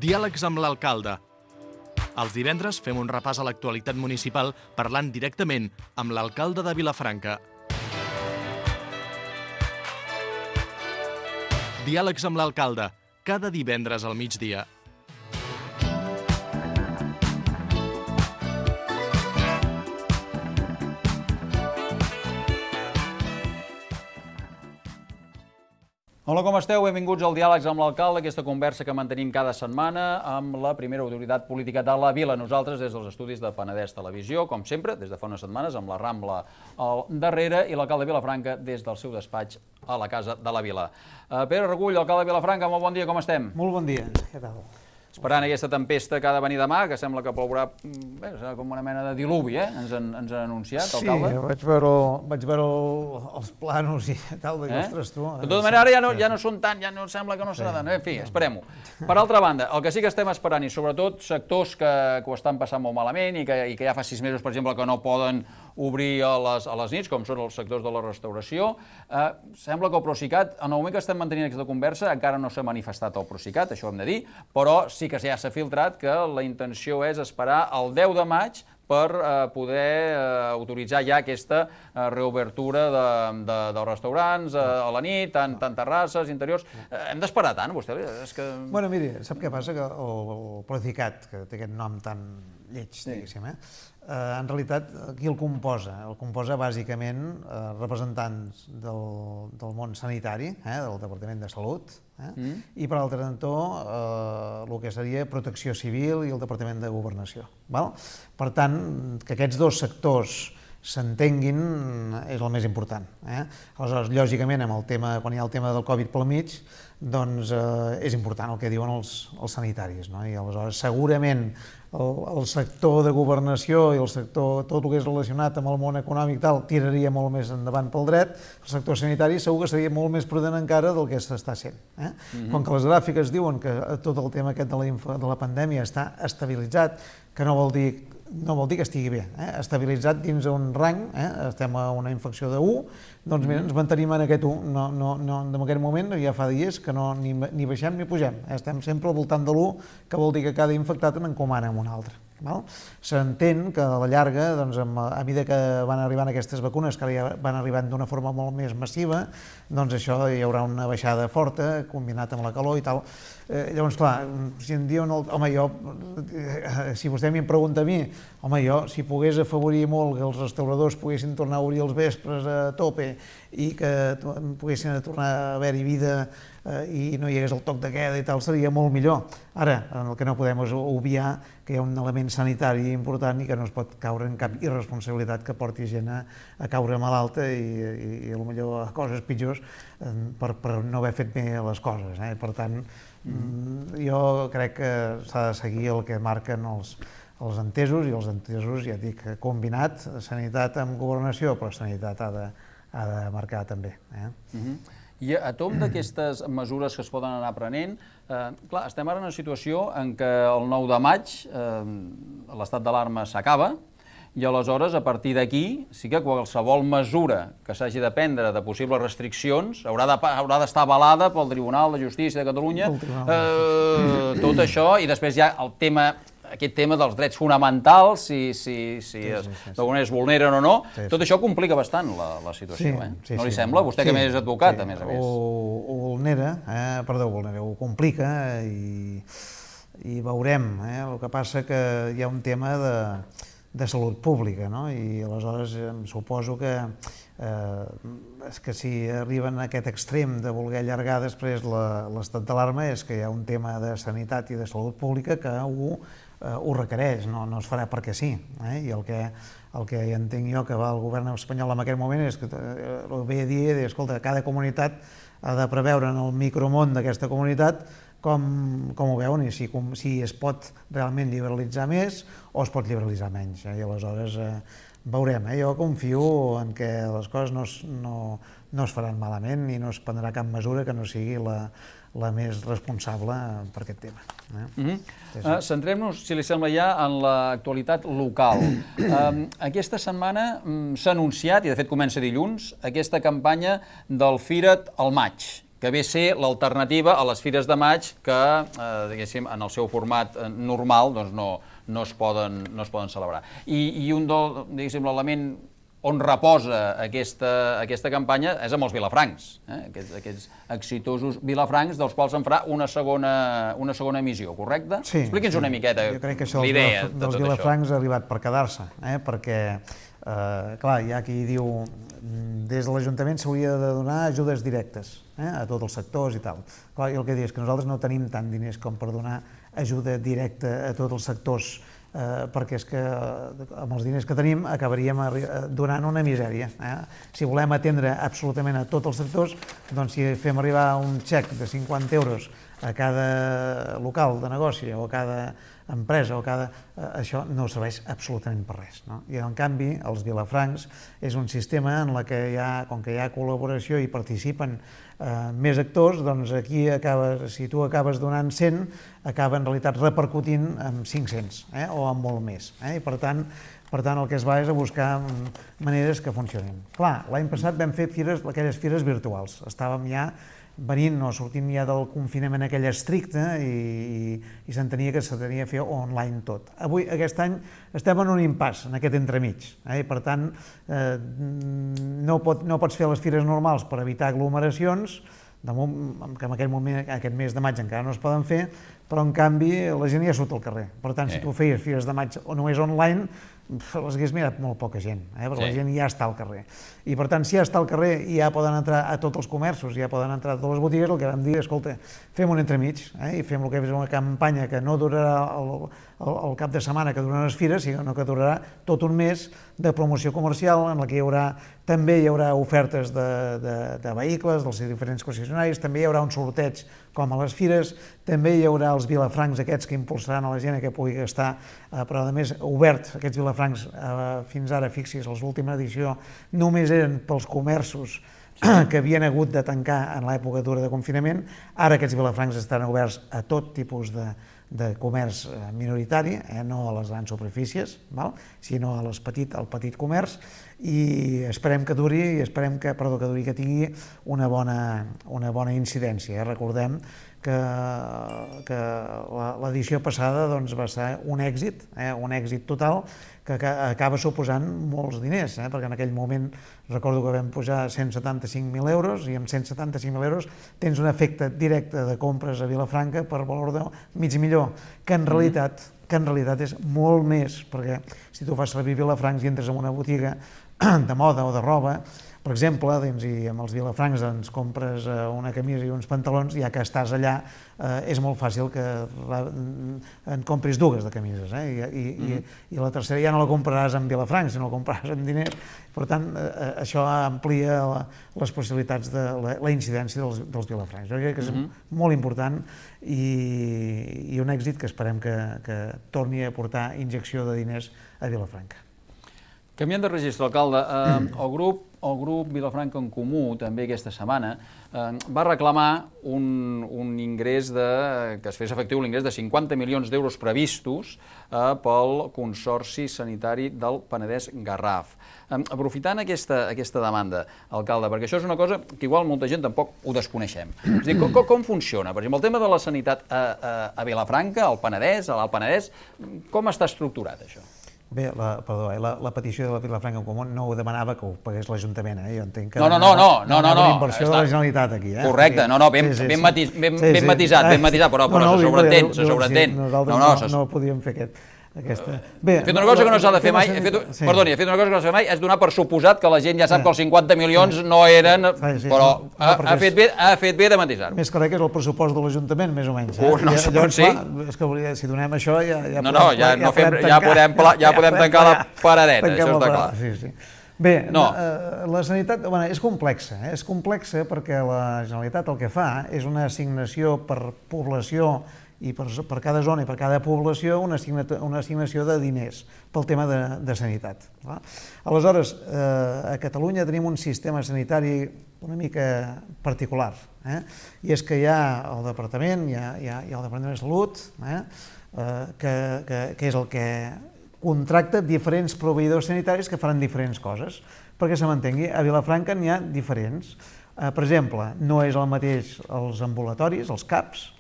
Diàlegs amb l'alcalde. Els divendres fem un repàs a l'actualitat municipal parlant directament amb l'alcalde de Vilafranca. Diàlegs amb l'alcalde, cada divendres al migdia. Hola, com esteu? Benvinguts al Diàlegs amb l'alcalde, aquesta conversa que mantenim cada setmana amb la primera autoritat política de la vila. Nosaltres, des dels estudis de Penedès Televisió, com sempre, des de fa unes setmanes, amb la Rambla al darrere i l'alcalde de Vilafranca des del seu despatx a la Casa de la Vila. Pere Regull, alcalde de Vilafranca, molt bon dia, com estem? Molt bon dia, què tal? Esperant aquesta tempesta que ha de venir demà, que sembla que plourà com una mena de diluvi, ens han anunciat, alcalde. Sí, vaig veure els plànols i tal, de ostres, tu... De tota manera, ara ja no són tant, ja no sembla que no serà tant. En fi, esperem-ho. Per altra banda, el que sí que estem esperant, i sobretot sectors que ho estan passant molt malament i que ja fa 6 mesos, per exemple, que no poden obrir a les nits, com són els sectors de la restauració, sembla que el Procicat, en el moment que estem mantenint aquesta conversa, encara no s'ha manifestat el Procicat, això ho hem de dir, però sí que ja s'ha filtrat que la intenció és esperar el 10 de maig per poder autoritzar ja aquesta reobertura dels restaurants a la nit, tant terrasses, interiors. Hem d'esperar tant, vostè? Bueno, miri, sap què passa? Que el Procicat, que té aquest nom tan lleig, diguéssim, en realitat, qui el composa? El composa bàsicament representants del món sanitari, del Departament de Salut, i per altre cantó el que seria Protecció Civil i el Departament de Governació. Per tant, que aquests dos sectors s'entenguin és el més important. Aleshores, lògicament, quan hi ha el tema del Covid pel mig, doncs és important el que diuen els sanitaris. I aleshores, segurament, el sector de governació i el sector, tot el que és relacionat amb el món econòmic tal, tiraria molt més endavant pel dret. El sector sanitari segur que seria molt més prudent encara del que s'està sent. Com que les gràfiques diuen que tot el tema aquest de la pandèmia està estabilitzat, que no vol dir que estigui bé, estabilitzat dins un rang, estem a una infecció de 1, doncs mira, ens mantenim en aquest 1, en aquest moment ja fa dies que ni baixem ni pugem, estem sempre al voltant de l'1, que vol dir que cada infectat n'encomana amb un altre. S'entén que a la llarga, a mesura que van arribant aquestes vacunes, que ara ja van arribant d'una forma molt més massiva, doncs això hi haurà una baixada forta, combinat amb la calor i tal. Llavors, clar, si em diuen, home, si vostè m'hi pregunta a mi, home, jo, si pogués afavorir molt que els restauradors poguessin tornar a obrir els vespres a tope i que poguessin tornar a haver-hi vida i no hi hagués el toc de queda i tal, seria molt millor. Ara, el que no podem és obviar que hi ha un element sanitari important i que no es pot caure en cap irresponsabilitat que porti gent a caure malalta i potser a coses pitjors per no haver fet bé les coses. Per tant, jo crec que s'ha de seguir el que marquen els entesos, i els entesos, ja dic, combinat, sanitat amb governació, però sanitat ha de marcar també. I a tomb d'aquestes mesures que es poden anar prenent, clar, estem ara en una situació en què el 9 de maig l'estat d'alarma s'acaba i aleshores, a partir d'aquí, sí que qualsevol mesura que s'hagi de prendre de possibles restriccions haurà d'estar avalada pel Tribunal de Justícia de Catalunya, tot això, i després ja aquest tema dels drets fonamentals, si d'alguna manera es vulneren o no, tot això complica bastant la situació, no li sembla? Vostè que més advocat, a més a més. Ho complica i veurem. El que passa que hi ha un tema de salut pública, i aleshores em suposo que si arriben a aquest extrem de voler allargar després l'estat d'alarma és que hi ha un tema de sanitat i de salut pública que ho requereix, no es farà perquè sí. I el que entenc jo que va el govern espanyol en aquest moment és que ve a dir, escolta, cada comunitat ha de preveure en el micromón d'aquesta comunitat com ho veuen i si es pot realment liberalitzar més o es pot liberalitzar menys. I aleshores veurem. Jo confio en que les coses no es faran malament i no es prendrà cap mesura que no sigui la més responsable per aquest tema. Centrem-nos, si li sembla ja, en l'actualitat local. Aquesta setmana s'ha anunciat, i de fet comença dilluns, aquesta campanya del Fira't al maig, que ve a ser l'alternativa a les Fires de Maig que, diguéssim, en el seu format normal no es poden celebrar. I un diguéssim, l'element on reposa aquesta campanya és amb els vilafrancs, aquests exitosos vilafrancs dels quals en farà una segona emissió, correcte? Sí. Expliqui'ns una miqueta l'idea de tot això. Jo crec que això dels vilafrancs ha arribat per quedar-se, perquè, clar, hi ha qui diu des de l'Ajuntament s'hauria de donar ajudes directes a tots els sectors i tal. Clar, jo el que dic és que nosaltres no tenim tant diners com per donar ajuda directa a tots els sectors, perquè és que amb els diners que tenim acabaríem donant una misèria. Si volem atendre absolutament a tots els sectors, doncs si fem arribar un xec de 50 euros a cada local de negoci o a cada empresa, això no serveix absolutament per res. I en canvi, els vilafrancs és un sistema en què com que hi ha col·laboració i participen més actors, doncs aquí si tu acabes donant 100, acaba en realitat repercutint en 500 o en molt més. I per tant el que es va és a buscar maneres que funcionin. Clar, l'any passat vam fer aquelles fires virtuals. Estàvem ja venint o sortint ja del confinament aquell estricte i s'entenia que s'hauria de fer online tot. Avui, aquest any, estem en un impàs, en aquest entremig. Per tant, no pots fer les fires normals per evitar aglomeracions, que en aquest mes de maig encara no es poden fer, però en canvi la gent ja surt al carrer. Per tant, si tu feies fires de maig o només online, les hagués mirat molt poca gent, perquè la gent ja està al carrer. I per tant, si ja està al carrer i ja poden entrar a tots els comerços, ja poden entrar a totes les botigues, el que vam dir, escolta, fem un entremig i fem el que és una campanya que no durarà el cap de setmana que duren les fires, sinó que durarà tot un mes de promoció comercial en què també hi haurà ofertes de vehicles dels diferents concessionaris, també hi haurà un sorteig com a les fires, també hi haurà els vilafrancs aquests que impulsaran a la gent que pugui gastar, però a més obert aquests vilafrancs fins ara, fixi's, l'última edició només eren pels comerços que havien hagut de tancar en l'època dura de confinament. Ara aquests vilafrancs estan oberts a tot tipus de comerç minoritari, no a les grans superfícies, sinó al petit comerç, i esperem que duri, que tingui una bona incidència. Recordem que l'edició passada va ser un èxit total, que acaba suposant molts diners, perquè en aquell moment recordo que vam pujar 175.000 euros i amb 175.000 euros tens un efecte directe de compres a Vilafranca per valor de $500.000, que en realitat és molt més, perquè si tu fas servir vilafrancs i entres en una botiga de moda o de roba, per exemple, i amb els vilafrancs ens compres una camisa i uns pantalons, ja que estàs allà és molt fàcil que en compris dues de camises, i la tercera ja no la compraràs amb vilafrancs, sinó la compraràs amb diners. Per tant, això amplia les possibilitats de la incidència dels vilafrancs. Jo crec que és molt important i un èxit que esperem que torni a portar injecció de diners a Vilafranca. Canviant de registre, alcalde, el grup Vilafranca en Comú, també aquesta setmana, va reclamar un ingrés que es fes efectiu l'ingrés de 50 milions d'euros previstos pel Consorci Sanitari del Penedès-Garraf. Aprofitant aquesta demanda, alcalde, perquè això és una cosa que igual molta gent tampoc ho desconeixem. És a dir, com funciona? Per exemple, el tema de la sanitat a Vilafranca, al Penedès, a l'Alt Penedès, com està estructurat això? Bé, la petició de la Vilafranca en Comú no ho demanava que ho pagués l'Ajuntament, jo entenc que... No, una inversió de la Generalitat aquí. Correcte, ben matisat, però se sobreentén. Nosaltres no podíem fer aquesta... He fet una cosa que no s'ha de fer mai, és donar per suposat que la gent ja sap que els 50 milions no eren, però ha fet bé de matisar. Més clar que és el pressupost de l'Ajuntament, més o menys. No, sí. És que si donem això ja podem tancar la paradeta, això està clar. Bé, la sanitat és complexa perquè la Generalitat el que fa és una assignació per població i per cada zona i per cada població una assignació de diners pel tema de sanitat. Aleshores, a Catalunya tenim un sistema sanitari una mica particular, i és que hi ha el Departament, hi ha el Departament de Salut, que és el que contracta diferents proveïdors sanitaris que faran diferents coses. Perquè se m'entengui, a Vilafranca n'hi ha diferents. Per exemple, no és el mateix els ambulatoris, els CAPs,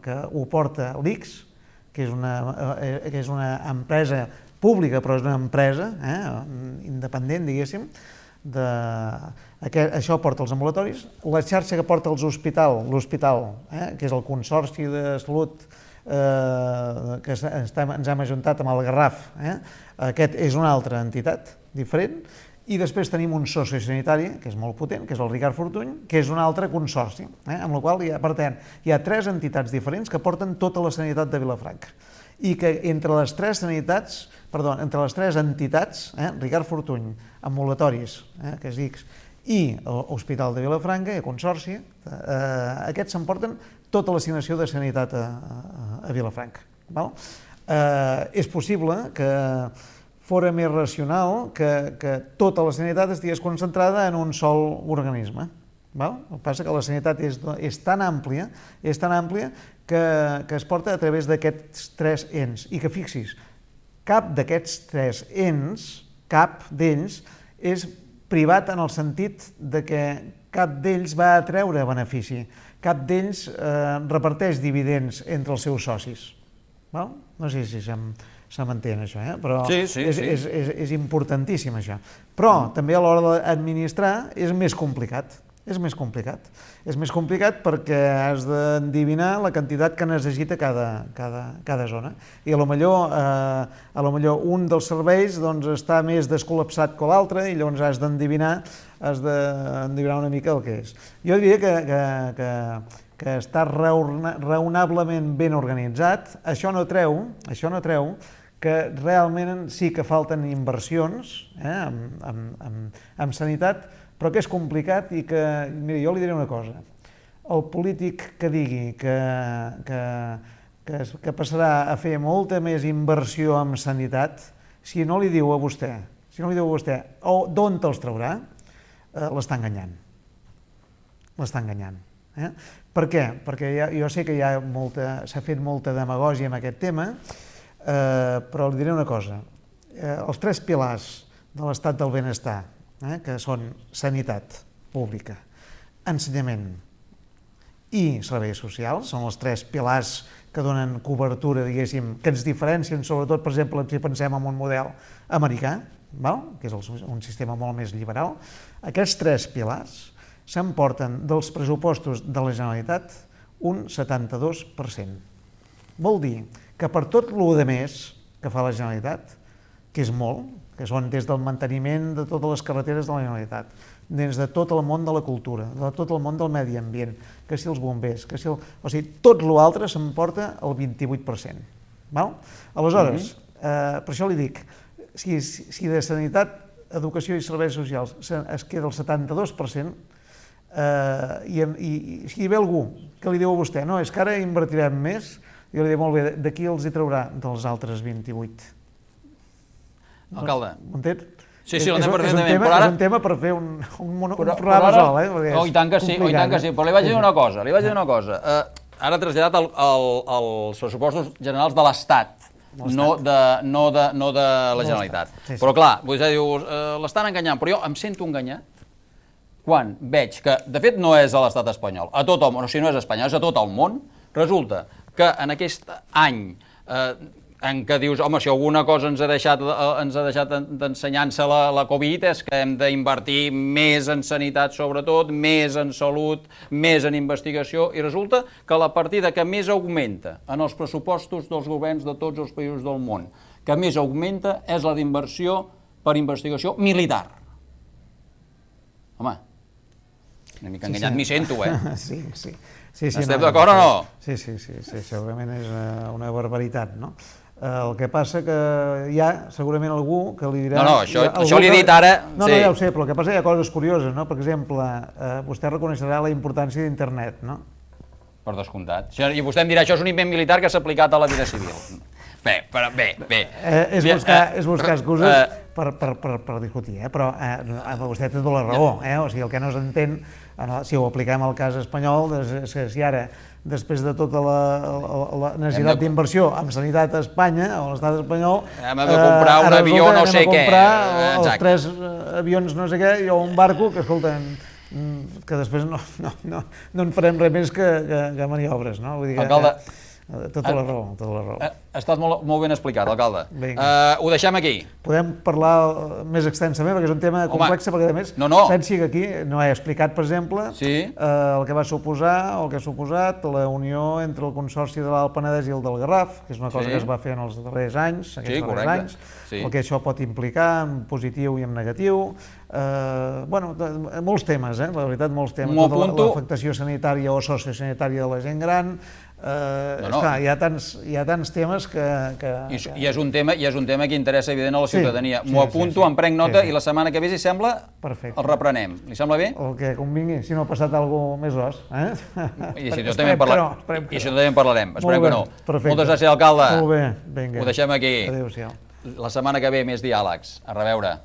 que ho porta l'ICS, que és una empresa pública, però és una empresa independent, diguéssim. Això porta els ambulatoris. La xarxa que porta l'hospital, que és el Consorci de Salut que ens hem ajuntat amb el Garraf, aquest és una altra entitat diferent. I després tenim un sociosanitari, que és molt potent, que és el Ricard Fortuny, que és un altre consorci, amb la qual per tant, hi ha 3 entitats diferents que porten tota la sanitat de Vilafranca. I que entre les 3 entitats, Ricard Fortuny, ambulatoris, que és X, i l'Hospital de Vilafranca, i el Consorci, aquests s'emporten tota l'assignació de sanitat a Vilafranca. És possible que fora més racional que tota la sanitat estigués concentrada en un sol organisme. El que passa que la sanitat és tan àmplia que es porta a través d'aquests 3 ens. I que fixis, cap d'aquests 3 ens, cap d'ells, és privat en el sentit de que cap d'ells va a treure benefici, cap d'ells reparteix dividends entre els seus socis. No sé si se m'entén això, però és importantíssim això. Però també a l'hora d'administrar és més complicat. És més complicat perquè has d'endevinar la quantitat que necessita cada zona. I potser un dels serveis està més descol·lapsat que l'altre i llavors has d'endevinar una mica el que és. Jo diria que està raonablement ben organitzat. Això no treu que realment sí que falten inversions en sanitat, però que és complicat i que, mira, jo li diré una cosa. El polític que digui que passarà a fer molta més inversió en sanitat, si no li diu a vostè d'on te'ls traurà, l'està enganyant. Per què? Perquè jo sé que s'ha fet molta demagògia en aquest tema, però li diré una cosa. Els 3 pilars de l'estat del benestar, que són sanitat pública, ensenyament i serveis socials, són els 3 pilars que donen cobertura, diguéssim, que ens diferencien, sobretot, per exemple, si pensem en un model americà, que és un sistema molt més liberal. Aquests 3 pilars s'emporten dels pressupostos de la Generalitat un 72%. Vol dir que per tot el més que fa la Generalitat, que és molt, que són des del manteniment de totes les carreteres de la Generalitat, des de tot el món de la cultura, de tot el món del medi ambient, que si els bombers, o sigui, tot l'altre s'emporta el 28%. Aleshores, per això li dic, si de sanitat, educació i serveis socials es queda el 72%, i si hi ve algú que li diu a vostè, no, és que ara invertirem més, jo li dic, molt bé, d'aquí els hi traurà dels altres 28%. Alcalde. M'entens? Sí, l'entenc perfectament. És un tema per fer un programa sol, I tant que sí, però li vaig dir una cosa. Ara ha traslladat els pressupostos generals de l'Estat, no de la Generalitat. Però clar, vostè diu, l'estan enganyant, però jo em sento enganyat quan veig que, de fet, no és a l'estat espanyol, a tot el món, o sigui, no és a Espanya, és a tot el món, resulta que en aquest any en què dius, home, si alguna cosa ens ha deixat d'ensenyança la Covid és que hem d'invertir més en sanitat sobretot, més en salut, més en investigació, i resulta que la partida que més augmenta en els pressupostos dels governs de tots els països del món, que més augmenta és la d'inversió per investigació militar. Home, una mica enganyat m'hi sento, Sí. Estem d'acord o no? Sí, segurament és una barbaritat, no? El que passa que hi ha segurament algú que li dirà... No, això li he dit ara... No, ja ho sé, però el que passa que hi ha coses curioses, no? Per exemple, vostè reconeixerà la importància d'internet, no? Per descomptat. I vostè em dirà, això és un invent militar que s'ha aplicat a la vida civil. Bé. És buscar excuses per discutir, però vostè té tota la raó, o sigui, el que no s'entén, si ho apliquem al cas espanyol, és que si ara, després de tota la necessitat d'inversió en sanitat a Espanya, o a l'estat espanyol... Hem de comprar un avió no sé què. Els 3 avions no sé què, o un barco, que, escolta, que després no en farem res més que maniobres, no? Vull dir que, alcalde, tota la raó, tota la raó. Ha estat molt ben explicat, alcalde. Ho deixem aquí. Podem parlar més extensament, perquè és un tema complex, perquè a més, pensi que aquí no he explicat, per exemple, el que va suposar, o el que ha suposat, la unió entre el Consorci de l'Alt Penedès i el del Garraf, que és una cosa que es va fer en els darrers anys, el que això pot implicar en positiu i en negatiu. Bueno, molts temes, la veritat, molts temes. Tota l'afectació sanitària o sociosanitària de la gent gran. Esclar, hi ha tants temes que... I és un tema que interessa, evident, a la ciutadania. M'ho apunto, em prenc nota i la setmana que ve, si sembla, el reprenem. Li sembla bé? El que convingui, si no ha passat alguna cosa més os. I si això també en parlarem. Esperem que no. Moltes gràcies, alcalde. Molt bé, vinga. Ho deixem aquí. Adéu-siau. La setmana que ve més diàlegs. A reveure.